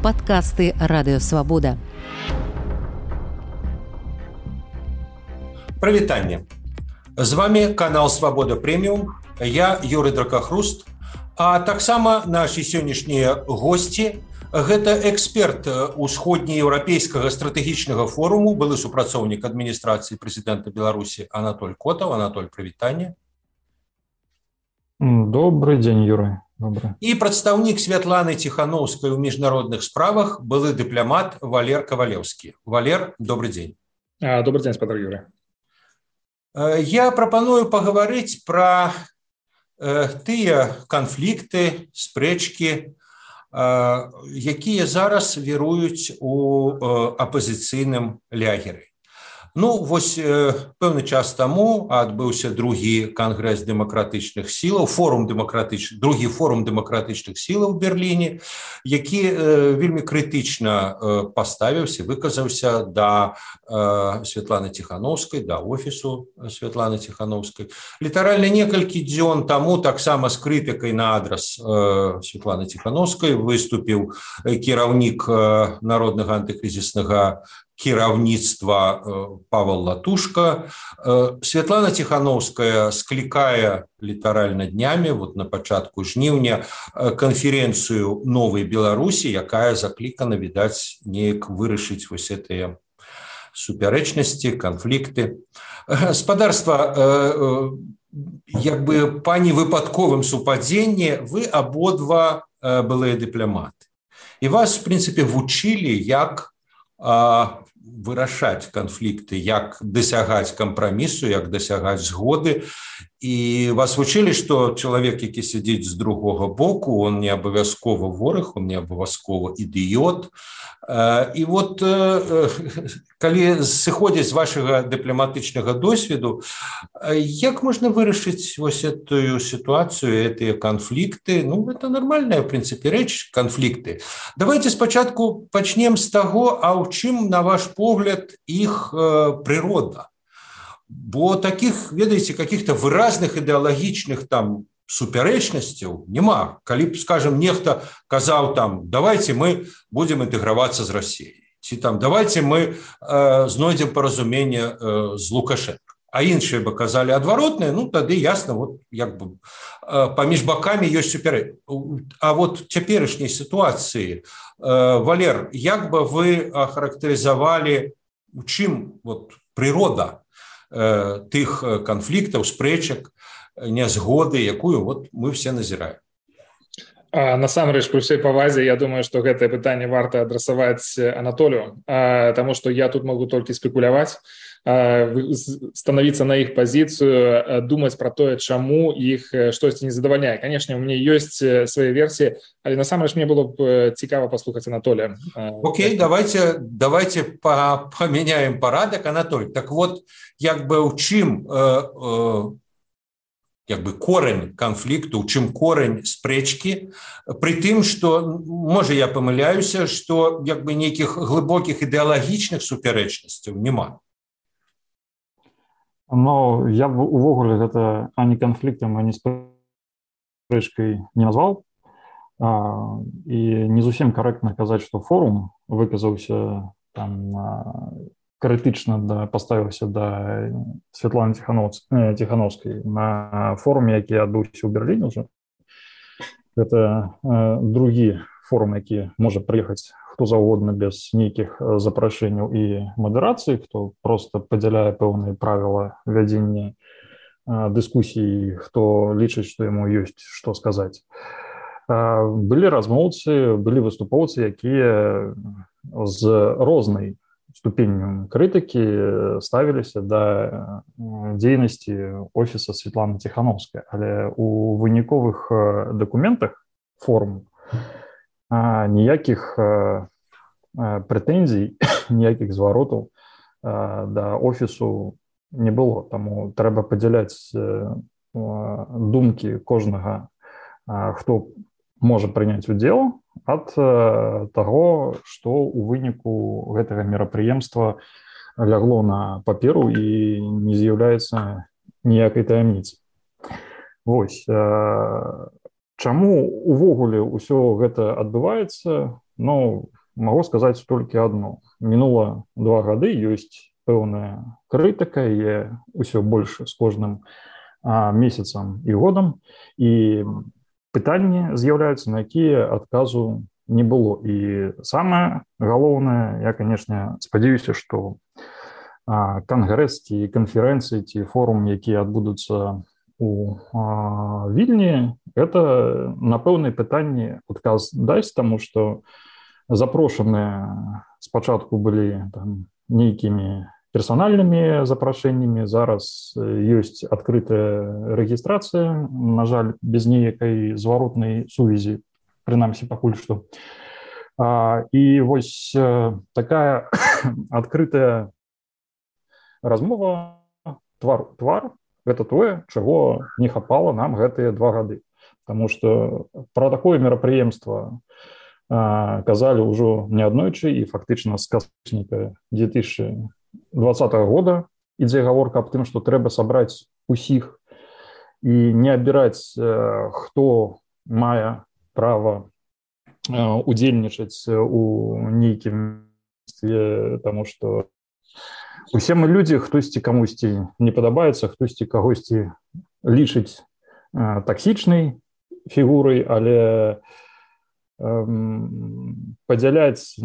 Падкасты Радыёвабода. Прывітанне. З вами канал Свабода Прэміум. Я Юрый Дракахруст. А таксама нашы сённяшнія госці – гэта эксперт усходнееўрапейскага стратэгічнага форуму, былы супрацоўнік адміністрацыі прэзідэнта Беларусі Анатоль Котаў. Анатоль, прывітанне. Добрый дзень, Юрый. Добрый. І прадстаўнік Святланы Ціханаўскай у міжнародных справах, былы дыпламат Валер Кавалеўскі. Валер, добрый дзень. Добрый дзень, спадар Юрый. Я прапаную пагаварыць пра тыя канфлікты, спрэчкі, якія зараз віруюць у апазіцыйным лягеры. Ну, вось пэўны час таму адбыўся другі кангрэс дэмакратычных сілаў, другі форум дэмакратычных сілаў у Берліне, які вельмі крытычна паставіўся, выказаўся да Святланы Ціханаўскай, да офісу Святланы Ціханаўскай. Літаральна некалькі дзён таму таксама з крытыкай на адрас Святланы Ціханаўскай выступіў кіраўнік народнага антыкрызіснага кіраўніцтва Павел Латушка. Святлана Ціханаўская склікае літаральна днямі, вот на пачатку жніўня, канферэнцыю новай Беларусі, якая заклікана, відаць, неяк вырашыць вось гэтыя супярэчнасці, канфлікты. Спадарства, як бы па невыпадковым супадзенні, вы абодва былыя дыпламаты. І вас, в прынцыпе, вучылі, як вырашаць канфлікты, як дасягаць кампрамісу, як дасягаць згоды. І вас вучылі, што чалавек, які сядзіць з другога боку, он не абавязкова вораг, он не абавязкова ідыёт. І вот калі сыходзіць з вашага дыпламатычнага досведу, як можна вырашыць вось эту сітуацыю, гэтыя канфлікты? Ну, это нормальная, в прынцыпе, рэч, канфлікты. Давайте спачатку пачнем з таго, а ў чым, на ваш погляд, іх прырода? Бо таких, ведаеце, каких-то выразных ідэалагічных там супярэчнасцяў няма. Калі б, скажем, нехта казаў там, давайте мы будем інтэгравацца з Расіяй, ці там давайте мы знойдзем паразуменне з Лукашенко. А іншыя бы казалі адваротнае, ну тады ясна, вот як бы паміж бакамі ёсць супярэчнасць. А вот цяперашняй сітуацыі, Валер, як бы вы ахарактарызавалі, у чым вот прырода тых канфліктаў, спрэчак, нязгоды, якую вот мы все назіраем? Насамрэч, пры ўсёй павазе, я думаю, што гэтае пытанне варта адрасаваць Анатолію, таму што я тут могу толькі спекуляваць, становіцца на іх пазіцыю, думаць пра тое, чаму іх штосьці не задавальняе. Канешне, у мяне ёсць свае версіі, але насамрэч мне было б цікава паслухаць Анатолія. Окей, давайте памяняем парадак, Анатолий. Так вот, як бы ў чым як бы корень канфлікту, у чым корень спрэчкі, пры тым, што, можа, я памыляюся, што як бы нейкіх глыбокіх ідэалагічных супярэчнасцяў няма. Но я б увогуле гэта ані канфліктам, ані спрэчкай не назваў. І не зусім карэктна казаць, што форум выказаўся там крытычна паставіўся да Святланы Ціханаўскай на форуме, які адбыўся ў Берліне ўжо. Гэта другі форум, які можа прыехаць хто заўгодна без нейкіх запрашэнняў і мадэрацыі, хто проста падзяляе пэўныя правілы вядзення дыскусій, хто лічыць, што яму ёсць што сказаць. Былі размоўцы, былі выступоўцы, якія з рознай ступенню крытыкі ставіліся да дзейнасці офіса Святланы Ціханаўскай. Але у выніковых дакументах форуму ніякіх прэтэнзій, ніякіх зваротаў да офісу не было. Таму трэба падзяляць думкі кожнага, хто можа прыняць удзел, ад таго, што ў выніку гэтага мерапрыемства лягло на паперу і не з'яўляецца ніякай таямніцы. Вось. Чаму увогуле ўсё гэта адбываецца? Ну, могу сказаць толькі адно. Мінула 2 гады, ёсць пэўная крытыка, і ўсё больш з кожным месяцам і годам, і пытанні з'яўляюцца, на якія адказу не было. І самае галоўнае, я, канешне, спадзяюся, што кангрэс ці канферэнцыі ці форум, якія адбудуцца у Вільні, это на пэўныя пытанні адказ дасць, таму што запрошаныя спачатку былі там нейкімі персанальнымі запрашэннямі, зараз ёсць адкрытая рэгістрацыя, на жаль, без ніякай зваротнай сувязі, прынамсі пакуль што. І вось такая адкрытая размова твар-твар, гэта тое, чаго не хапала нам гэтыя 2 гады. Таму што пра такое мерапрыемства казалі ўжо неаднойчы, і фактычна з кастрычніка 2020 года ідзе гаворка аб тым, што трэба сабраць усіх і не абіраць, хто мае права удзельнічаць у нейкім, таму што усе мы людзі, хтосьці камусьці не падабаецца, хтосьці кагосьці лічыць таксічнай фігурай, але падзяляць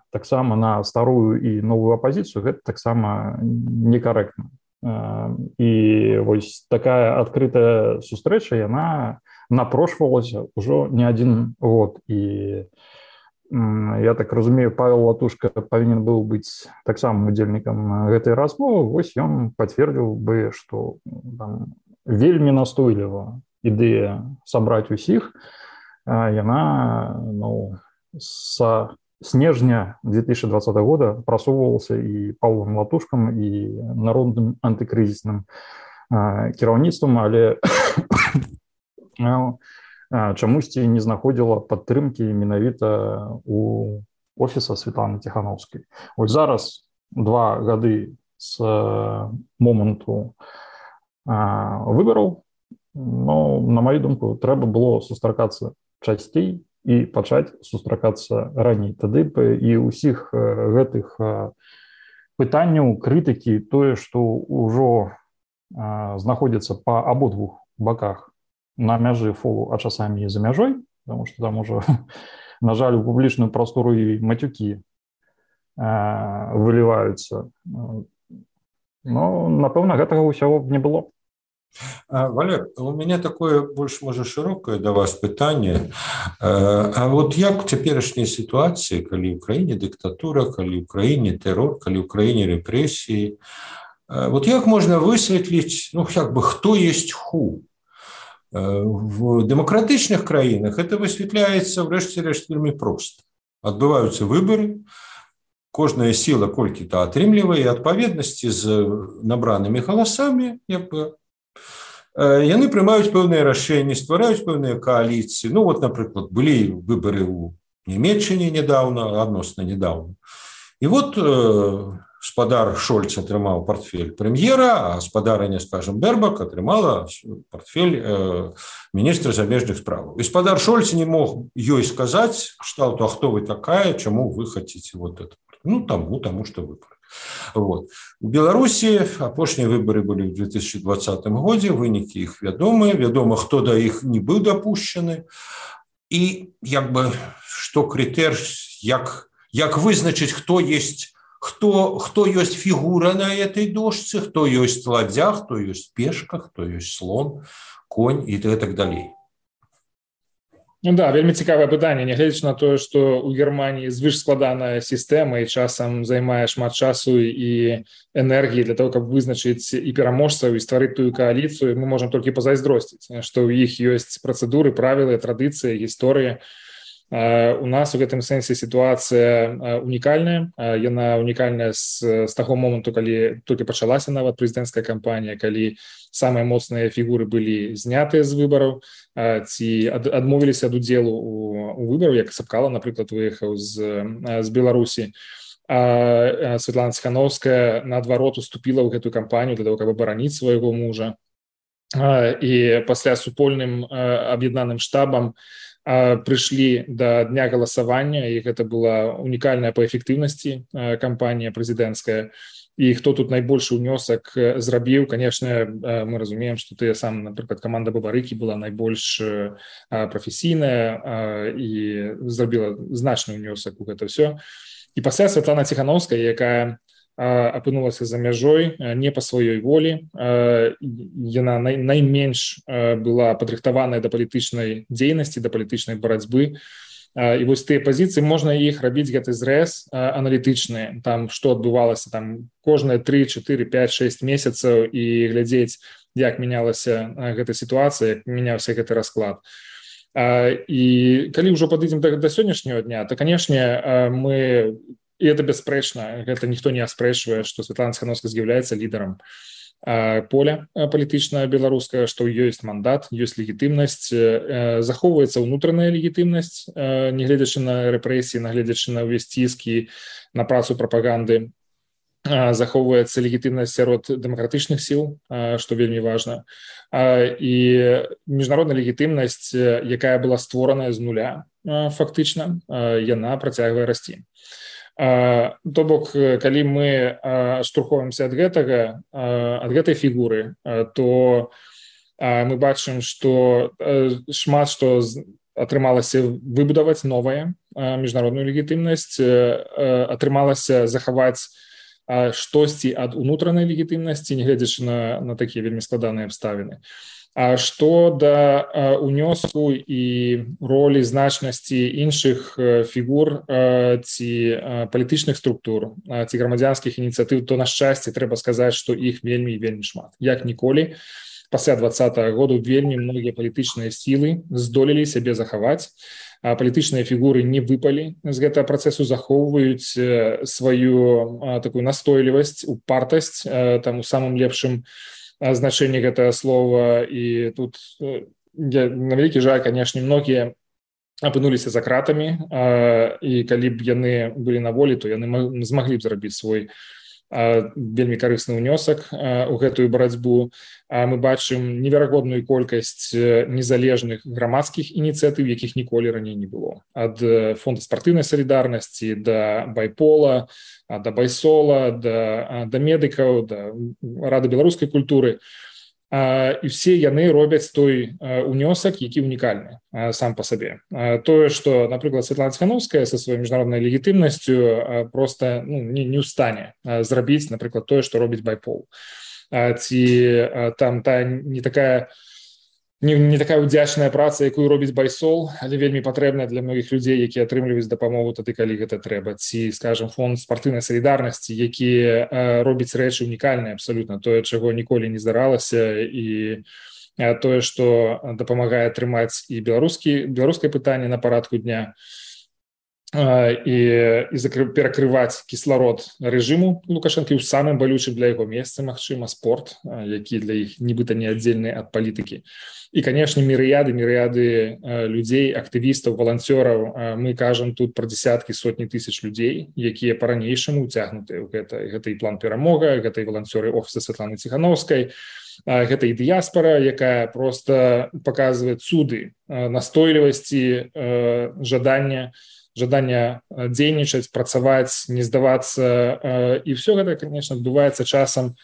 таксама на старую і новую апазіцыю, гэта таксама некарэктна. І вось такая адкрытая сустрэча, яна напрошвалася ўжо не адзін год. І я так разумею, Павел Латушка павінен быў быць таксама удзельнікам гэтай размовы. Вось ён пацвердзіў бы, што вельмі настойліва ідэя сабраць усіх, яна са снежня 2020 года прасоўвалася і Павлом Латушкам, і народным антыкрызісным кіраўніцтвам, але чамусьці не знаходзіла падтрымкі менавіта у офіса Светланы Ціхановскай. Вось зараз 2 гады з моманту выбараў, но, на маю думку, трэба было сустракацца часцей і пачаць сустракацца раней. Тады б і ўсіх гэтых пытанняў, крытыкі, тое, што ўжо знаходзіцца па абодвух баках на мяжы фолу, а часамі і за мяжой, потому што там ужо, на жаль, у публічную прастору і матюкі выліваюцца. Ну, напэўна, гэтага ўсяго не было. Валер, у меня такое больш, можа, шырокае да вас пытанне. А вот як у цяперашняй сітуацыі, калі ў краіне дыктатура, калі ў краіне тэрор, калі ў краіне рэпрэсіі, вот як можна высветліць, ну, як бы, хто есть ху? В дэмакратычных краінах это высвятляецца, врэшце рэшт, вельмі проста. Адбываюцца выбары, кожная сіла колькі-то атрымлівае, і адпаведнасці з набранымі галасамі, як бы, яны прымаюць пэўныя рашэнні, ствараюць пэўныя кааліцыі. Ну, вот, напрыклад, былі выбары ў Нямецчыне недаўна, адносна недаўна. І вот спадар Шольц атрымаў партфель прэм'ера, а спадарыня, скажем, Бербак атрымала партфель міністра замежных справаў. І спадар Шольц не мог ёй сказаць, што, а хто вы такая, чаму вы хацеце вот это. Ну, таму, што выбары. Вот. У Беларусі апошнія выбары былі ў 2020 годзе, вынікі іх вядомыя, вядома, хто да іх не быў дапушчаны. І, як бы, што крытэр, як вызначыць, хто ёсць фігура на этой дошцы, хто ёсць ладдзя, хто ёсць пешка, хто ёсць слон, конь і так далей. Ну да, вельмі цікавае пытанне, нягледзячы на тое, што ў Германіі звышскладаная сістэма і часам займае шмат часу і энергіі для того, каб вызначыць і пераможцаў і стварыць тую кааліцыю, мы можам толькі пазайздросціць, што ў іх ёсць працэдуры, правілы, традыцыі, гісторыя. У нас у гэтым сэнсе сітуацыя унікальная. Яна унікальная з таго моманту, калі толькі пачалася нават прэзідэнцкая кампанія, калі самыя моцныя фігуры былі знятыя з выбараў ці адмовіліся ад удзелу у выбару, як Сапкала, напрыклад, выехаў з Беларусі. Светлана Ціхановская, наадварот, уступіла ў гэтую кампанію для того, каб абараніць свайго мужа. І пасля супольным аб'яднаным штабам прыйшлі да дня галасавання, і гэта была унікальная па эфектыўнасці кампанія прэзідэнцкая. І хто тут найбольшы ўнёсак зрабіў, конечно, мы разумеем, што тыя сам, напрыклад, каманда Бабарыкі была найбольш прафесійная і зрабіла значны ўнёсак у гэта ўсё. І пасля Святлана Ціхановская, якая апынулася за мяжой не па сваёй волі, яна найменш была падрыхтаваная да палітычнай дзейнасці, да палітычнай барацьбы. І вось тыя пазіцыі, можна іх рабіць гэты зрэз аналітычны, там што адбывалася там кожныя 3, 4, 5, 6 месяцаў і глядзець, як мянялася гэта сітуацыя, як мяняўся гэты расклад. І калі ўжо падыдзем да сённяшняга дня, то, канешне, мы, і это бясспрэчна, гэта ніхто не аспрэчвае, што Святлана Ціхановская з'яўляецца лідарам поля палітычнага беларускага, што ёсць мандат, ёсць легітымнасць, захоўваецца ўнутраная легітымнасць, нягледзячы на рэпрэсіі, нагледзячы на ўвесь ціск і на працу прапаганды, захоўваецца легітымнасць сярод дэмакратычных сіл, што вельмі важна, і міжнародная легітымнасць, якая была створаная з нуля, фактычна, яна працягвае расці. То бок, калі мы штурховаемся ад гэтай фігуры, то мы бачым, што шмат што атрымалася выбудаваць новая міжнародную легітымнасць, атрымалася захаваць штосьці ад унутранай легітымнасці, нягледзячы на такія вельмі складаныя абставіны. А што да ўнёску і ролі значнасці іншых фігур ці палітычных структур, ці грамадзянскіх ініцыятыў, то, на шчасце, трэба сказаць, што іх вельмі і вельмі шмат. Як ніколі, пасля 2020 году вельмі многія палітычныя сілы здолелі сябе захаваць, палітычныя фігуры не выпалі з гэтага працэсу, захоўваюць сваю такую настойлівасць, упартасць, там у самым лепшым значэнне гэтага слова, і тут на вялікі жаль, канешне, многія апынуліся за кратамі, і калі б яны былі на волі, то яны змаглі б зрабіць свой вельмі карысны ўнёсак у гэтую барацьбу. Мы бачым неверагодную колькасць незалежных грамадскіх ініцыятыў, якіх ніколі раней не было. Ад фонда спартыўнай салідарнасці да байпола, да байсола, да медыкаў, да рады беларускай культуры. І все яны робяць той унёсак, які унікальны сам па сабе. Тое, што, напрыклад, Святлана Ціхановская са сваёй міжнароднай легітымнасцю проста не ў стане зрабіць, напрыклад, тое, што робіць байпол. Ці там не такая ўдзячная праца, якую робіць байсол, але вельмі патрэбная для многіх людзей, якія атрымліваюць дапамогу тады, калі гэта трэба. Ці, скажем, фонд спартыўнай салідарнасці, які робіць рэчы унікальныя абсалютна, тое, чаго ніколі не здаралася, і тое, што дапамагае трымаць і беларускае пытанне на парадку дня, і перакрываць кісларод рэжыму Лукашэнкі ў самым балючым для яго месцы, магчыма, спорт, які для іх нібыта не аддзельны ад палітыкі. І, канешне, мірыяды людзей, актывістаў, валанцёраў. Мы кажам тут пра дзесяткі, сотні тысяч людзей, якія па-ранейшаму ўцягнутыя ў гэта і план перамога, гэта і валанцёры офіса Святланы Ціхановскай, гэта і дыяспара, якая проста паказвае цуды настойлівасці, жадання дзейнічаць, працаваць, не здавацца. І все гэта, конечно, адбываецца часам,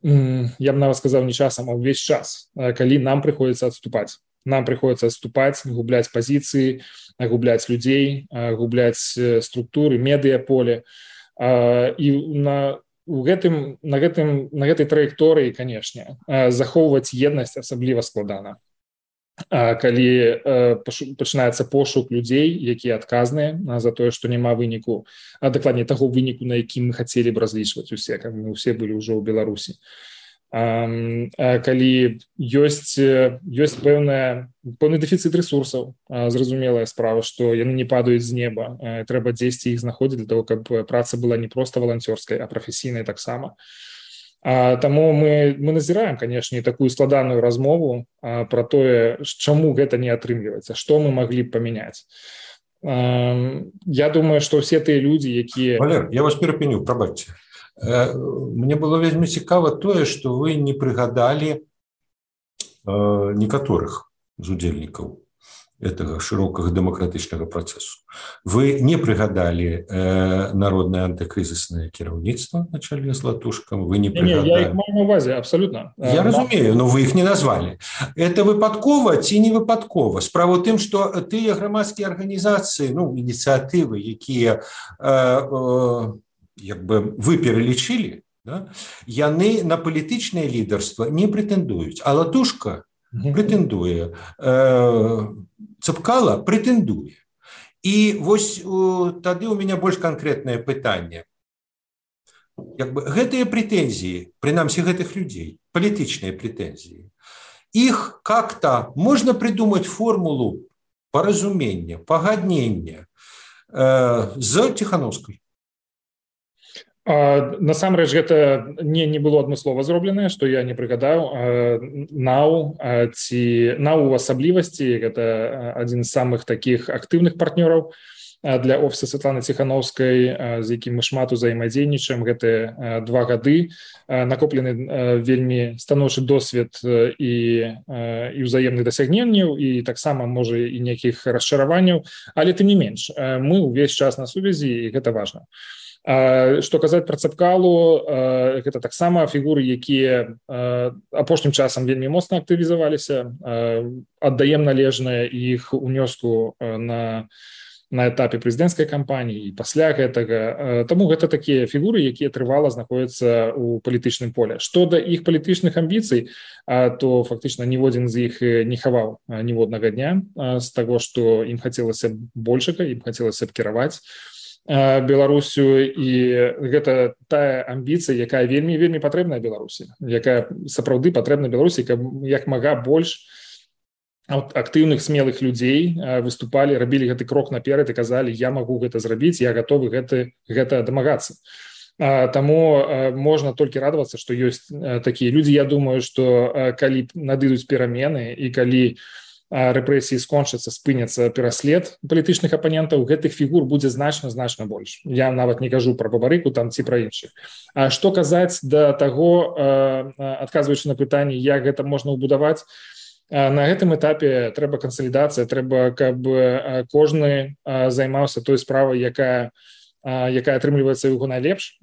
я б нават сказаў, не часам, а ўвесь час, калі нам прыходзіцца адступаць. Нам прыходзіцца адступаць, губляць пазіцыі, губляць людзей, губляць структуры, медыяполе. І на гэтай траекторыі, канешне, захоўваць еднасць асабліва складана. Калі пачынаецца пошук людзей, якія адказныя за тое, што няма выніку, а дакладней таго выніку, на якім мы хацелі б разлічваць усе, каб мы ўсе былі ўжо ў Беларусі. Калі ёсць пэўны дэфіцыт рэсурсаў, зразумелая справа, што яны не падаюць з неба, трэба дзесьці іх знаходзіць для того, каб праца была не проста валанцёрскай, а прафесійнай таксама. Таму мы назіраем, канешне, такую складаную размову пра тое, чаму гэта не атрымліваецца, што мы маглі б памяняць. Я думаю, што ўсе тыя людзі, якія... Валер, я вас перапыню, прабачце. Мне было вельмі цікава тое, што вы не прыгадалі некаторых з удзельнікаў. этого широкого демократичного процессу. Вы не пригадали народное антикризисное кіраўніцтва на чале з Латушкам, вы не пригадали. Не, я их маю на увазе, абсолютно. Я разумею, но вы их не назвали. Это выпадкова ці не выпадкова? Справа ў тым, што тыя грамадскія арганізацыі, ініцыятывы, якія вы пералічылі, да, яны на палітычнае лідарства не прэтэндуюць, а Латушка прэтэндуе, Цапкала прэтэндуе. І вось тады у меня больш канкрэтнае пытанне. Гэтыя прэтэнзіі, прынамсі гэтых людзей, палітычныя прэтэнзіі, іх как-то можно придумать формулу паразумення, пагаднення з Ціхановскай? Насамрэч гэта не было адмыслова зробленае, што я не прыгадаў. НАУ у асаблівасці гэта адзін з самых такіх актыўных партнёраў для офіса Святланы Ціхановскай, з якім мы шмат узаемадзейнічаем гэтыя 2 гады. Накоплены вельмі станоўчы досвед і ўзаемных дасягненняў, і таксама можа і нейкіх расчараванняў, але тым не менш мы ўвесь час на сувязі, і гэта важна. Што казаць пра Цапкалу, гэта таксама фігуры, якія апошнім часам вельмі моцна актывізаваліся, аддаем належнае іх унёску на этапе прэзідэнцкай кампаніі і пасля гэтага. Таму гэта такія фігуры, якія трывала знаходзяцца ў палітычным поле. Што да іх палітычных амбіцый, то фактычна ніводзін з іх не хаваў ніводнага дня з таго, што ім хацелася большага, ім хацелася б кіраваць Беларусю, і гэта тая амбіцыя, якая вельмі патрэбная Беларусі, якая сапраўды патрэбна Беларусі, каб як мага больш актыўных, смелых людзей выступалі, рабілі гэты крок наперад і казалі: я магу гэта зрабіць, я гатовы гэта дамагацца. Таму можна толькі радавацца, што ёсць такія людзі. Я думаю, што калі надыдуць перамены і калі рэпрэсіі скончацца, спыняцца пераслед палітычных апанентаў, гэтых фігур будзе значна больш. Я нават не кажу пра Бабарыку там ці пра іншых. А што казаць да таго, адказваючы на пытанне, як гэта можна ўбудаваць, на гэтым этапе трэба кансалідацыя, трэба, каб кожны займаўся той справай, якая атрымліваецца яго найлепш.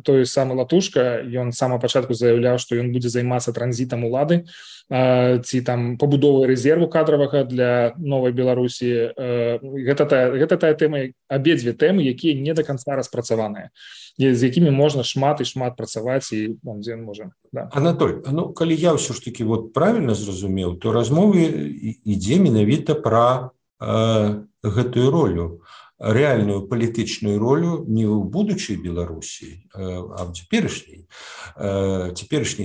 Той самы Латушка, ён з самага пачатку заяўляў, што ён будзе займацца транзітам улады ці там пабудовай рэзерву кадравага для новай Беларусі. Гэта тая тэма, абедзве тэмы, якія не да канца распрацаваныя, з якімі можна шмат працаваць, і дзе можа. Да. Анатоль, калі я ўсё ж такі правільна зразумеў, то размовы ідзе менавіта пра гэтую ролю, реальную палітычную ролю не ў будучай Беларусі, а ў цяперашняй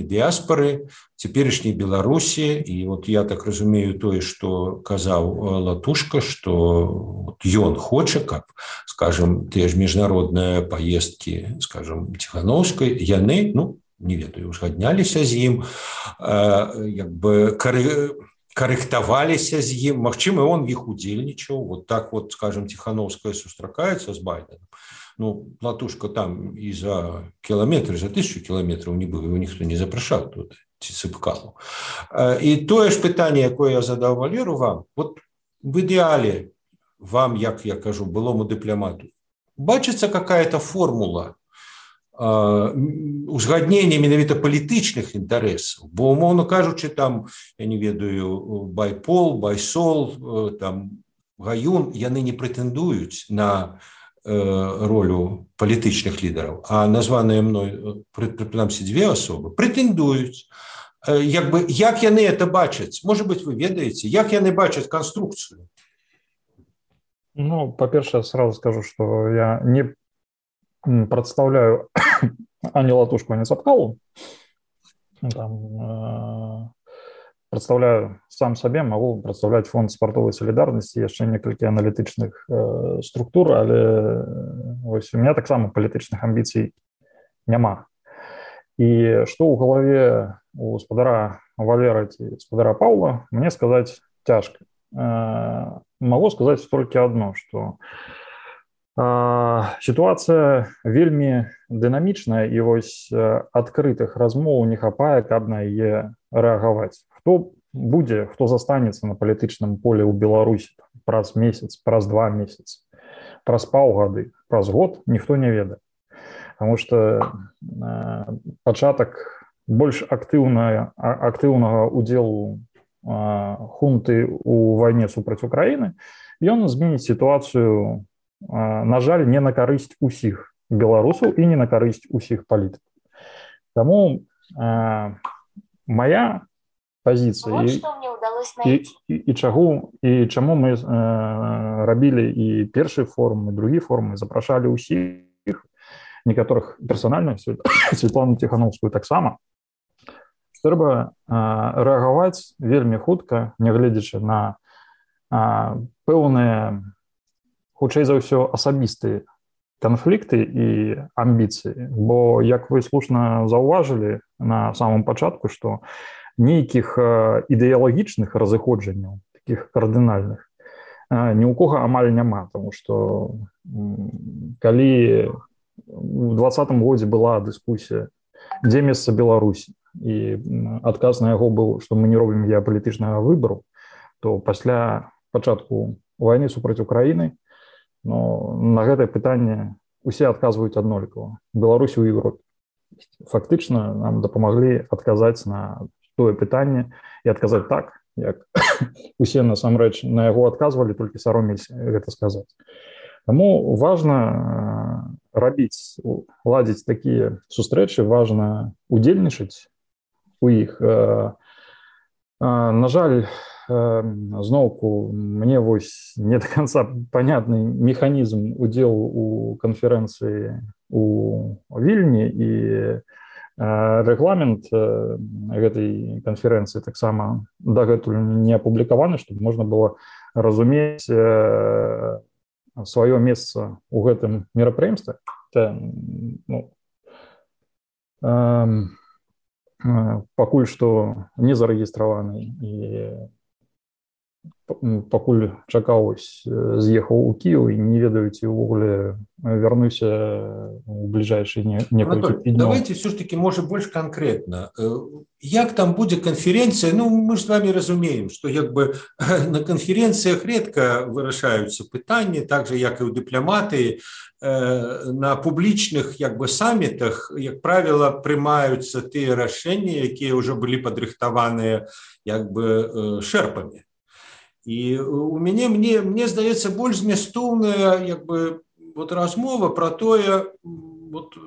дыяспары, цяперашняй Беларусі. І я так разумею тое, што казаў Латушка, што ён хоча, каб, скажем, тыя ж міжнародныя паездкі, скажем, Ціхановскай, яны, не ведаю, узгадняліся з ім, карэктаваліся з ім, магчыма, он іх удзельнічаў. Так, скажем, Ціхановская сустракаецца з Байденом. Латушка там і за кіламетры, за 1000 кіламетраў не быў, его ніхто не запрашаў тут, ці Цапкалу. І тое ж пытанне, якое я задаў Валеру вам, в ідэале вам, як я кажу, былому дыпламату, бачыцца какая-то формула узгаднення менавіта палітычных інтарэсаў, бо, умоўна кажучы, там, я не ведаю, Байпол, Байсол, там, Гаюн, яны не прэтэндуюць на ролю палітычных лідараў, а названыя мной, прынамсі, 2 асобы прэтэндуюць. Як яны это бачаць? Можа быць, вы ведаеце, як яны бачаць канструкцыю? Па-першае, сразу скажу, што я не представляю ані Латушку, ані Цапкалу. Представляю сам сабе, могу представляць фонд спартовай салідарнасці, яшчэ некалькі аналітычных структур, але у меня таксама палітычных амбіцый няма. І што ў галаве у спадара Валера ці спадара Паўла, мне сказаць цяжка. Могу сказаць толькі адно, што ситуация вельмі дынамічная, і адкрытых размоў не хапае, каб на яе рэагаваць. Хто будзе, хто застанецца на палітычным поле ў Беларусі праз месяц, праз 2 месяцы, праз паўгады, праз год, ніхто не ведае. Потому что пачатак больш актыўнага удзелу хунты ў вайне супраць Украіны, ён зменіць сітуацыю, на жаль, не на карысць усіх беларусаў і не на карысць усіх палітыкаў. Таму моя позиция и чаму мы рабілі і першы форум, і другі форум, і запрашалі ўсіх, некаторых персанальна, Светлану Тихановскую таксама, што трэба рэагаваць вельмі хутка, нягледзячы на пэўныя, хутчэй за ўсё, асабістыя канфлікты і амбіцыі. Бо, як вы слушна заўважылі на самом пачатку, што нейкіх ідэалагічных разыходжанняў, такіх кардынальных, ні ў кога амаль няма, тому што калі у 2020 годзе была дыскусія, дзе месца Беларусі, і адказ на яго быў, што мы не робім геапалітычнага выбару, то пасля пачатку вайны супраць Украіны, на гэтае пытанне усе адказваюць аднолькава. Беларусі ў Европе. Фактычна нам дапамаглі адказаць на тое пытанне і адказаць так, як усе насамрэч на яго адказвалі, толькі саромеліся гэта сказаць. Таму важна рабіць, ладзіць такія сустрэчы, важна удзельнічаць у іх. На жаль, зноўку, мне вось не до конца понятны механізм удзелу у канферэнцыі у Вільні, і рэгламент гэтай канферэнцыі таксама дагэтуль не апублікаваны, чтобы можна было разумець сваё месца ў гэтым мерапрыемстве. Пакуль што не зарэгістраваны і пакуль чакаў, з'ехаў у Кіеў і не ведаю, ці ўвогуле вярнуся у бліжэйшыя некалькі днёў. Давайте все-таки, может, больше конкретно. Як там будет конференция? Ну, мы же с вами разумеем, что как бы на конференциях редко вырашаются питания, так же, як и у дипломаты. На публічных як бы самітах, як правило, приймаються ті рішення, які вже були підрихтовані як би шерпами. І у мяне, мне здаецца, больш змястоўная як бы вот размова про тое, вот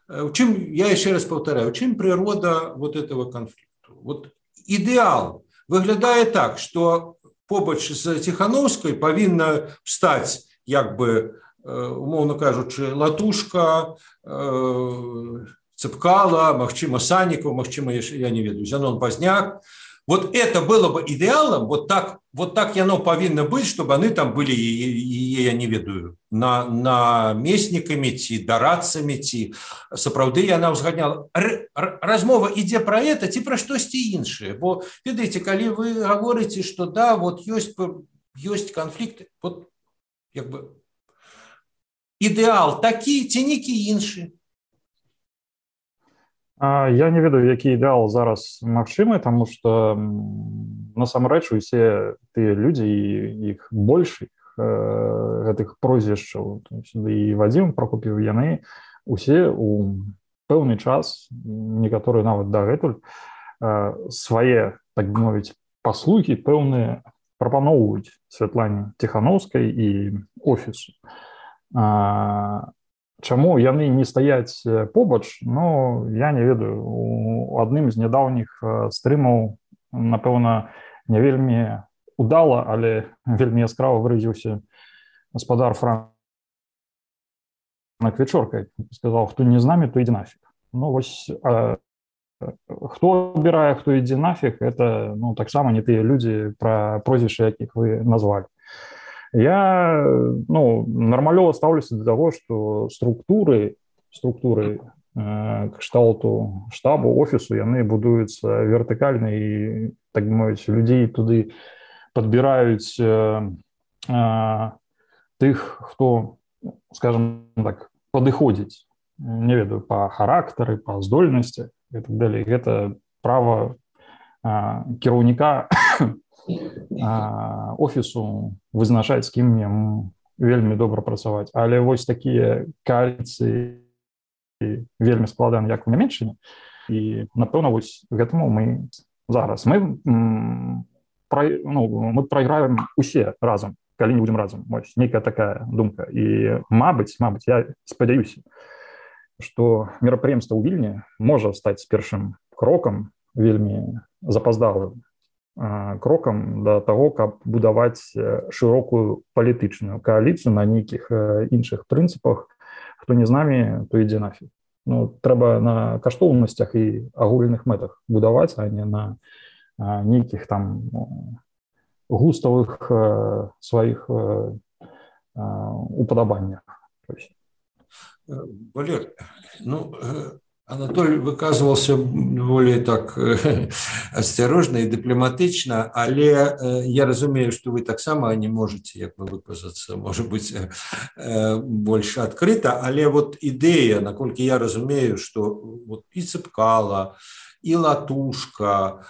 в чым, я еще раз повторяю, в чым природа вот этого конфликту. Вот ідэал выглядае так, что побач з Тихановской павінна стаць як бы, умоўно кажучы, Латушка, Цепкала, магчыма, Санікаў, магчыма, я не ведаю, Зянон Пазняк. Вот это было бы идеалом, вот так яно павінна быць, чтобы они там были, я не ведаю, намеснікамі ці дарадцамі, ці сапраўды яна ўзгадняла. Размова ідзе про это ці про штосьці іншае. Бо, ведаеце, калі вы говорите, что да, вот ёсць конфликты, вот як бы ідэал такі ці некі іншы. Я не ведаю, які ідэал зараз магчымы, тому што насамрэч усе тыя людзі, іх больш, гэтых прозвішчаў, і Вадзім Прокоп'еў, яны усе у пэўны час, некаторыя нават дагэтуль, свае, так бы мовіць, паслугі пэўныя прапаноўваюць Святлане Тихановскай і офісу. Чаму яны не стаяць побач, ну, я не ведаю. У адным з нядаўніх стрымаў, напэўна, не вельмі удала, але вельмі яскрава выразіўся гаспадар Франк Вечорка. Сказаў, хто не з намі, то ідзе нафіг. Ну, вось, хто абірае, хто ідзе нафіг, это, ну, таксама не тыя людзі, пра прозвішчы, якіх вы назвалі. Я, ну, нармалёва ставлюся до того, что структуры кшталту штабу, офісу, яны будуюцца вертыкальна, і, так бы мовіць, людзей туды падбіраюць тых, хто, скажем так, падыходзіць, не ведаю, па характары, па здольнасці і так далей. Гэта права кіраўніка офісу вызначаць, з кім мне вельмі добра працаваць. Але вось такія кааліцыі вельмі складаны, як у Нямецчыне. І, напэўна, вось гэтаму мы зараз. Мы прайграем усе разам, калі не будзем разам. Вось нейкая такая думка. І, мабыць, я спадзяюся, што мерапрыемства ў Вільні можа стаць першым крокам, вельмі запаздалым крокам да таго, каб будаваць шырокую палітычную кааліцыю на нейкіх іншых прынцыпах. Хто не з намі, то ідзе нафіг. Трэба на каштоўнасцях і агульных мэтах будаваць, а не на нейкіх там густавых сваіх уподабаннях. Валер, Анатолий выказывался более так осторожно и дипломатично, але я разумею, что вы так само не можете, як бы выказаться, может быть, больше открыто, але вот идея, наколькі я разумею, что вот и Цепкало, и Латушка,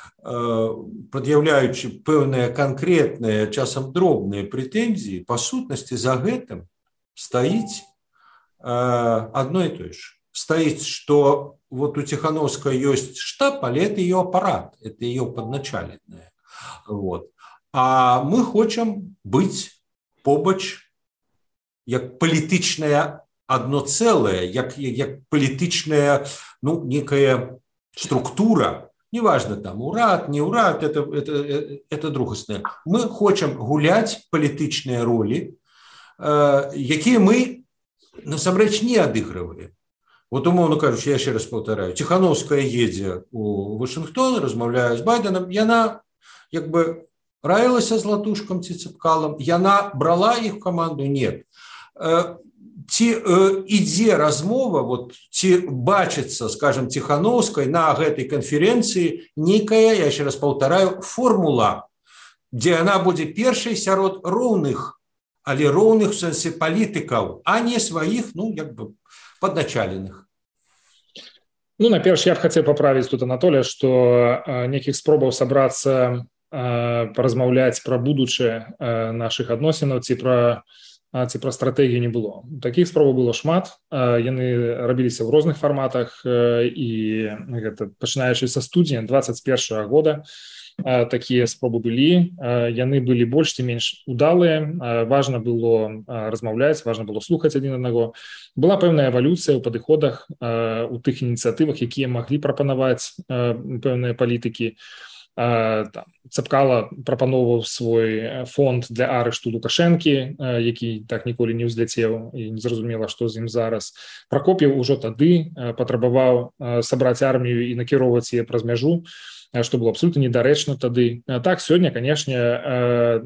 предъявляючи пэўныя конкретные, часам дробные претензии, по сутности за гэтым стоит одно и то же. Стоит, что вот у Тихановской есть штаб, але это ее аппарат, это ее подначаленное. Вот. А мы хотим быть побач, як палітычная одно целое, як палітычная, некая структура, неважно там урад, не урад, это другостное. Мы хотим гулять палітычныя роли, якія мы насамрэч не адыгрываем. Вот, умовно кажучи, я ще раз повторяю, Тихановская едзе у Вашингтон, размаўляе з Байденом, яна як бы раілася з Латушкам ці Цепкалом, яна брала іх в команду? Нет. Ці ідзе размова, вот, ці бачыцца, скажем, Тихановской на гэтай канференцыі нейкая, я ще раз повторяю, формула, дзе яна будзе першай сярод роўных, але роўных в сэнсе палітыкаў, а не сваіх, як бы, подначаленных. Наперш, я б хацеў паправіць тут Анатолия, што нейкіх спробаў сабрацца, паразмаўляць пра будучае нашых адносінаў ці пра стратэгію не было. Такіх спробаў было шмат, яны рабіліся ў розных фарматах, і гэта пачынаючы са студзеня 2021 года такія спробы былі, яны былі больш ці менш удалыя, важна было размаўляць, важна было слухаць адзін аднаго. Была пэўная эвалюцыя ў падыходах, у тых ініцыятывах, якія маглі прапанаваць пэўныя палітыкі. Цепкало прапаноўваў свой фонд для арышту Лукашэнкі, які так ніколі не ўзляцеў і незразумела, што з ім зараз. Пракоп'еў ужо тады патрабаваў сабраць армію і накіроўваць яе праз мяжу, што было абсолютно недарэчна тады. Так, сёння, канешне,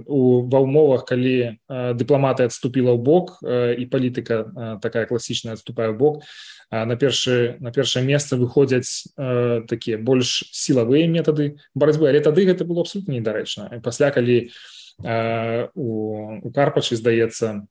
ва ўмовах, калі дыпламатыя адступіла ў бок і палітыка такая класічная адступае ў бок, на першае месца выходзяць такія больш сілавыя метады барацьбы, але тады гэта было абсолютно недарэчна. Пасля, калі у Карпачы, здаецца,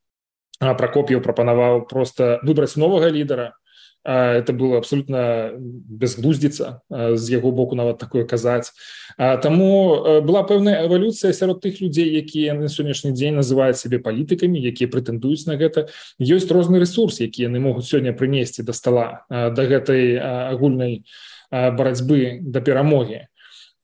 Пракоп'еў прапанаваў проста выбраць новага лідара, это было абсолютно безглуздзіца з яго боку нават такое казаць. Таму была пэўная эвалюцыя сярод тых людзей, якія на сённяшні дзень называюць сябе палітыкамі, якія прэтэндуюць на гэта. Ёсць розны рэсурс, які яны могуць сёння прынесці да стала, да гэтай агульнай барацьбы, да перамогі.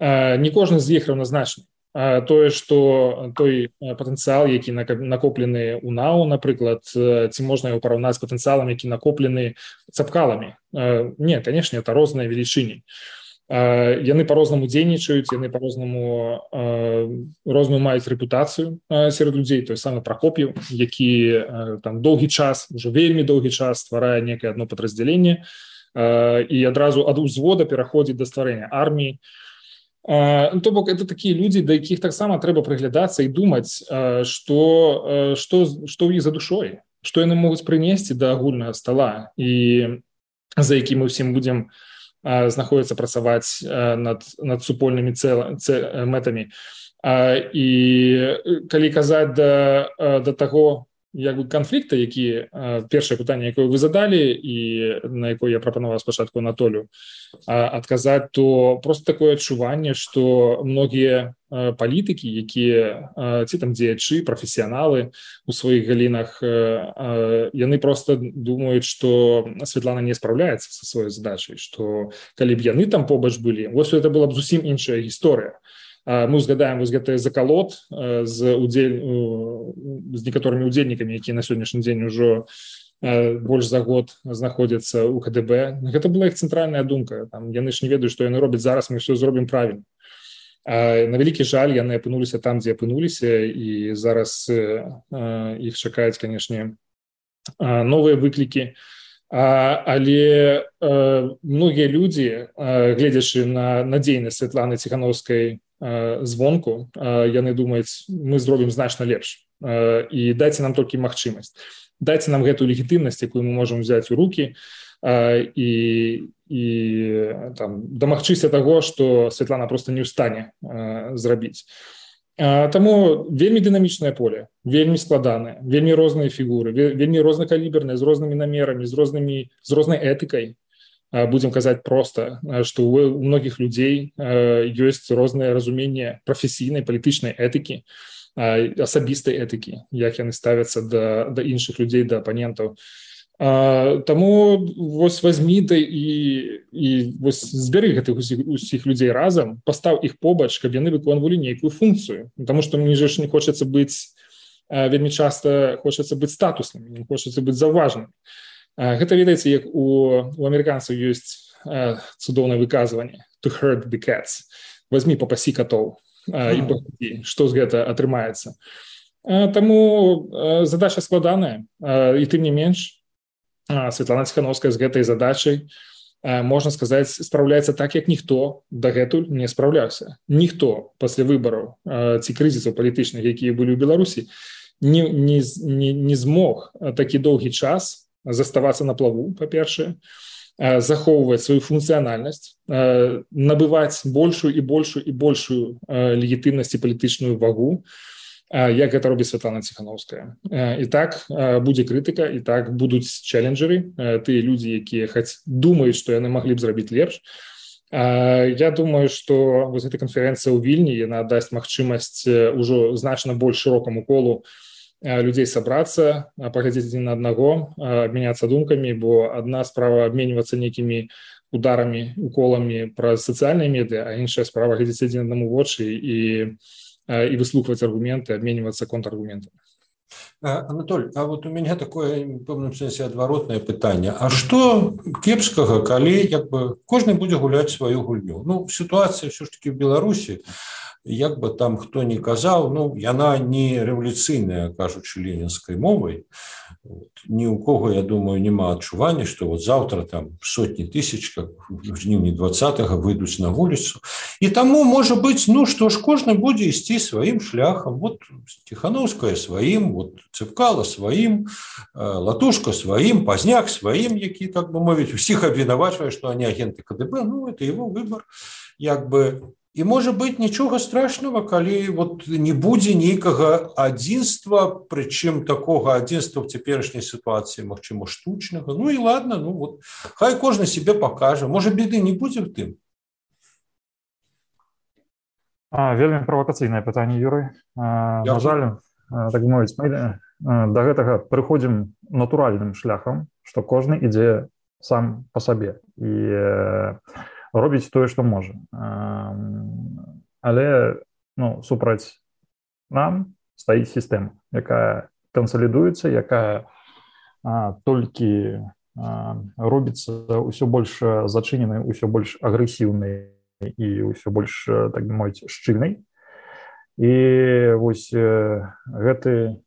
Не кожны з іх раўназначны. Тое, што той патэнцыял, які накоплены ў НАУ, напрыклад, ці можна яго параўнаць з патэнцыялам, які накоплены Цепкаламі? Не, канешне, это розныя велічыні. Яны па-рознаму дзейнічаюць, яны па-рознаму розную маюць рэпутацыю сярод людзей. Той самы Пракоп'еў, які там доўгі час, ужо вельмі доўгі час стварае некае адно падраздзяленне і адразу ад узвода пераходзіць да стварэння арміі. То бок, это такія людзі, да якіх таксама трэба прыглядацца і думаць, што ў іх за душой, што яны могуць прынесці да агульнага стала, і за якім мы ўсім будзем знаходзіцца працаваць над супольнымі мэтамі. І калі казаць да таго, як бы канфлікта, які першае пытанне, якое вы задалі і на якое я прапанаваў спачатку Анатолію адказаць, то просто такое адчуванне, што многія палітыкі, якія ці там дзеячы, прафесіяналы у сваіх галінах, яны просто думаюць, што Святлана не спраўляецца са сваёй задачай, што калі б яны там побач былі, вось это была б зусім іншая гісторыя. Мы узгадаем вось гэты закалот з некаторымі удзельнікамі, якія на сённяшні дзень ужо больш за год знаходзяцца ў КДБ. Гэта была іх цэнтральная думка. Там, яны ж не ведаюць, што яны робяць зараз, мы ўсё зробім правільна. На вялікі жаль, яны апынуліся там, дзе апынуліся, і зараз іх чакаюць, канешне, новыя выклікі. Але многія людзі, гледзячы на надзейнасць Святланы Ціханаўскай звонку, яны думаюць, мы зробім значна лепш. І дайце нам толькі магчымасць. Дайце нам гэтую легітымнасць, якую мы можам взяць у рукі, і там, дамагчыся таго, што Святлана просто не ў стане зрабіць. Таму вельмі дынамічнае поле, вельмі складанае, вельмі розныя фігуры, вельмі рознакаліберныя, з рознымі намерамі, з рознай этыкай. Будзем казаць проста, што у многіх людзей ёсць рознае разуменне прафесійнай, палітычнай этыкі, асабістай этыкі, як яны ставяцца да іншых людзей, да апанентаў. Таму вось вазьмі і вось збяры гэтых усіх людзей разам, пастаў іх побач, каб яны выконвалі нейкую функцыю. Таму што мне ж не хочацца быць, вельмі часта хочацца быць статуснымі, не хочацца быць заўважнымі. Гэта, ведаеце, як у амерыканцаў ёсць цудоўнае выказванне to herd the cats. Вазьмі, папасі катоў і паглядзі, што з гэта атрымаецца. Таму задача складаная, і тым не менш, Святлана Ціханаўская з гэтай задачай, можна сказаць, спраўляецца так, як ніхто дагэтуль не спраўляўся. Ніхто пасля выбараў ці крызісаў палітычных, якія былі ў Беларусі, не змог такі доўгі час заставацца на плаву, па-першае, захоўваць сваю функцыянальнасць, набываць большую і большую і большую легітымнасць і палітычную вагу, як гэта робіць Святлана Ціханаўская. І так будзе крытыка, і так будуць чэлленджеры, тыя людзі, якія думаюць, што яны маглі б зрабіць лепш. Я думаю, што вось эта канферэнцыя ў Вільні, яна дасць магчымасць ужо значна больш шырокаму колу людзей сабрацца, паглядзець адзін на аднаго, абмяняцца думкамі, бо адна справа абменьвацца нейкімі ударамі, уколамі праз сацыяльныя медыа, а іншая справа глядзець адзін аднаму вочы і выслухваць аргументы, абменьвацца контраргументамі. Анатоль, а вот у меня такое, в пэўным сэнсе, адваротнае пытанне. А што кепскага, калі кожны будзе гуляць сваю гульню? Сітуацыя ўсё ж такі ў Беларусі, як бы там хто не казаў, яна не рэвалюцыйная, кажучы ленінскай мовай. Ні ў кого, я думаю, няма адчування, што вот заўтра там сотні тысяч, как в жніўні 20-го, выйдуць на вуліцу. І таму, можа быць, што ж кожны будзе ісці сваім шляхам. Вот Ціханаўская сваім, вот Цыпкала сваім, Латушка сваім, Пазняк сваім, які, так бы мовіць, усіх абвінавачвае, што они агенты КДБ. Это его выбор, як бы. І, можа быць, нічога страшнага, калі не будзе нейкага адзінства, прычым такога адзінства ў цяперашняй сітуацыі, магчыма, штучнага. І ладно, хай кожны себе пакажа. Можа, біды не будзе ў тым? Вельмі правакацыйнае пытанне, Юрый. На жаль, так мовіць, мы да гэтага прыходзім натуральным шляхам, што кожны ідзе сам па сабе. І робіць тое, што можа. Але супраць нам стаіць сістэма, якая кансалідуецца, якая толькі робіцца ўсё больш зачыненай, ўсё больш агрэсіўнай і ўсё больш, так бы мовіць, шчыльнай. І вось гэты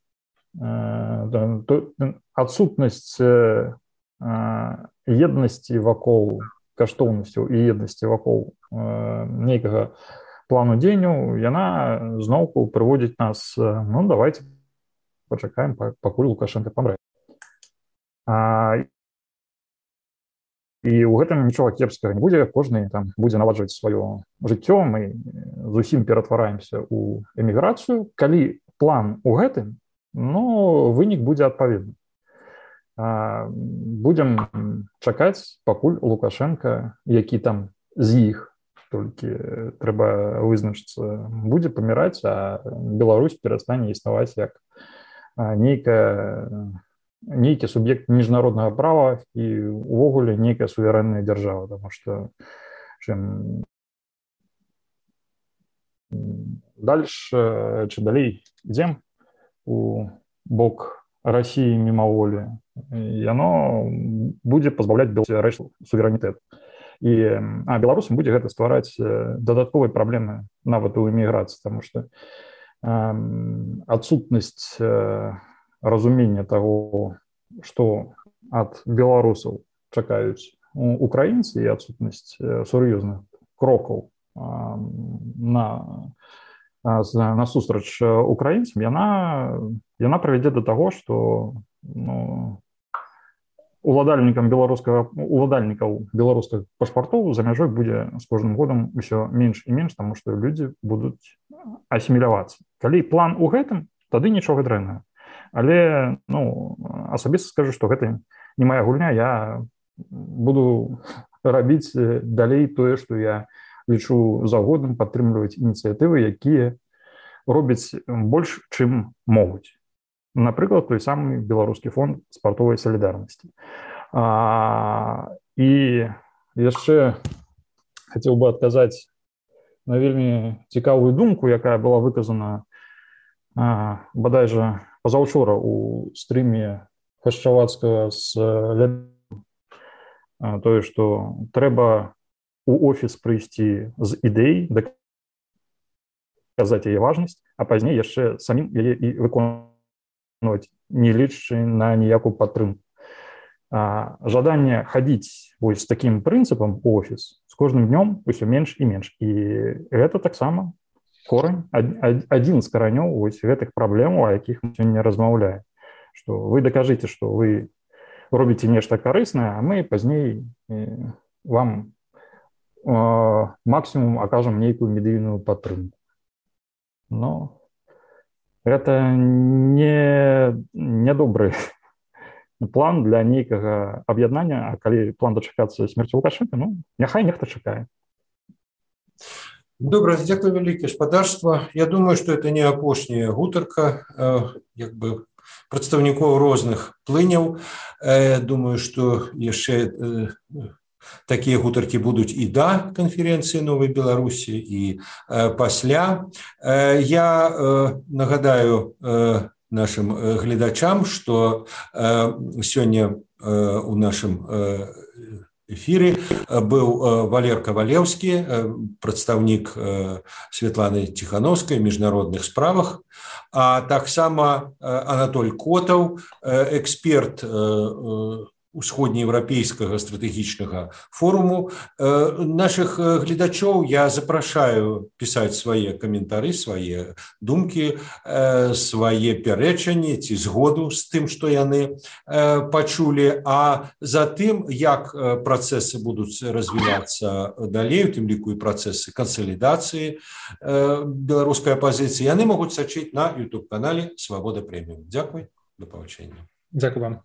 адсутнасць еднасці вакол каштоўнасцяў і еднасці вакол нейкага плану дзеянняў, яна зноўку прыводзіць нас, давайте пачакаем, пакуль Лукашенко памрэ. І ў гэтым нічога кепскага не будзе, кожны там будзе наладжваць сваё жыццё, мы зусім ператвараемся ў эміграцыю. Калі план у гэтым, ну, вынік будзе адпаведны. Будзем чакаць, пакуль Лукашенко, які там з іх, толькі трэба вызначыцца, будзе паміраць, а Беларусь перастане існаваць як нейкі суб'ект міжнароднага права і увогуле нейкая суверэнная дзяржава, тому што чым дальше чи далей ідзем у бок России мимоволі, яно будзе пазбаўляць Беларусь суверэнітэт. А беларусам будзе гэта ствараць дадатковыя праблемы нават у эміграцыі, тому што адсутнасць разумення таго, што ад беларусаў чакаюць украінцы, і адсутнасць сур'ёзных крокаў насустрач украінцам, яна прывядзе да таго, што уладальнікаў беларускіх пашпартоў за мяжой будзе з кожным годам усё менш і менш, таму што людзі будуць асімілявацца. Калі план у гэтым, тады нічога дрэннага. Але асабіста скажу, што гэта не моя гульня, я буду рабіць далей тое, што я лічу за годным, падтрымліваць ініцыятывы, якія робяць больш, чым могуць. Напрыклад, той самы беларускі фонд спартовай салідарнасці. І яшчэ хацеў бы адказаць на вельмі цікавую думку, якая была выказана бадай жа пазаўчора у стрыме Хашчавацкага з тое, што трэба у офіс прыйсці з ідэй, даказаць яе важнасць, а пазней яшчэ самім яе і выконваць, не лічачы на ніякую падтрымку. Жаданне хадзіць вось такім прынцыпам у офіс з кожным днём усё менш і менш. І гэта таксама корань, адзін з каранёў вось гэтых праблемаў, о якіх мы сёння размаўляем. Што вы дакажыце, што вы робіце нешта карыснае, а мы пазней вам максімум акажам нейкую медыйную падтрымку. Но гэта не добры план для нейкага аб'яднання, а калі план дачакацца смерці Лукашенка, няхай нехта чакае. Добра, дзякуй вялікі, спадарства. Я думаю, што это не апошняя гутарка прадстаўнікоў розных плыняў. Думаю, што яшчэ такія гутаркі будуць і да канферэнцыі Новай Беларусі, і пасля. Я нагадаю нашим гледачам, што сёння у нашым эфіры быў Валер Кавалеўскі, прадстаўнік Светланы Ціхановскай ў міжнародных справах, а таксама Анатоль Котаў, эксперт усходнееўрапейскага стратэгічнага форуму. Нашых гледачоў я запрашаю пісаць свае каментары, свае думкі, свае пярэчанні ці згоду з тым, што яны пачулі. А затым, як працэсы будуць развівацца далей, у тым ліку і працэсы кансалідацыі беларускай апазіцыі, яны могуць сачыць на YouTube-канале Свабода Прэміум. Дзякуй, да пабачэння. Дзякуй вам.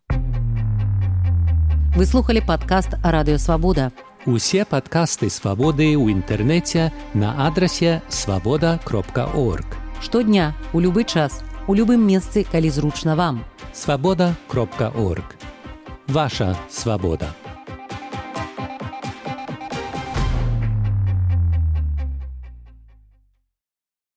Вы слухали падкаст «Радыё Свабода». Усе падкасты «Свабоды» ў інтэрнэце на адрасе свабода.орг. Штодня, у любы час, у любым месцы, калі зручна вам. Свабода.орг. Ваша свабода.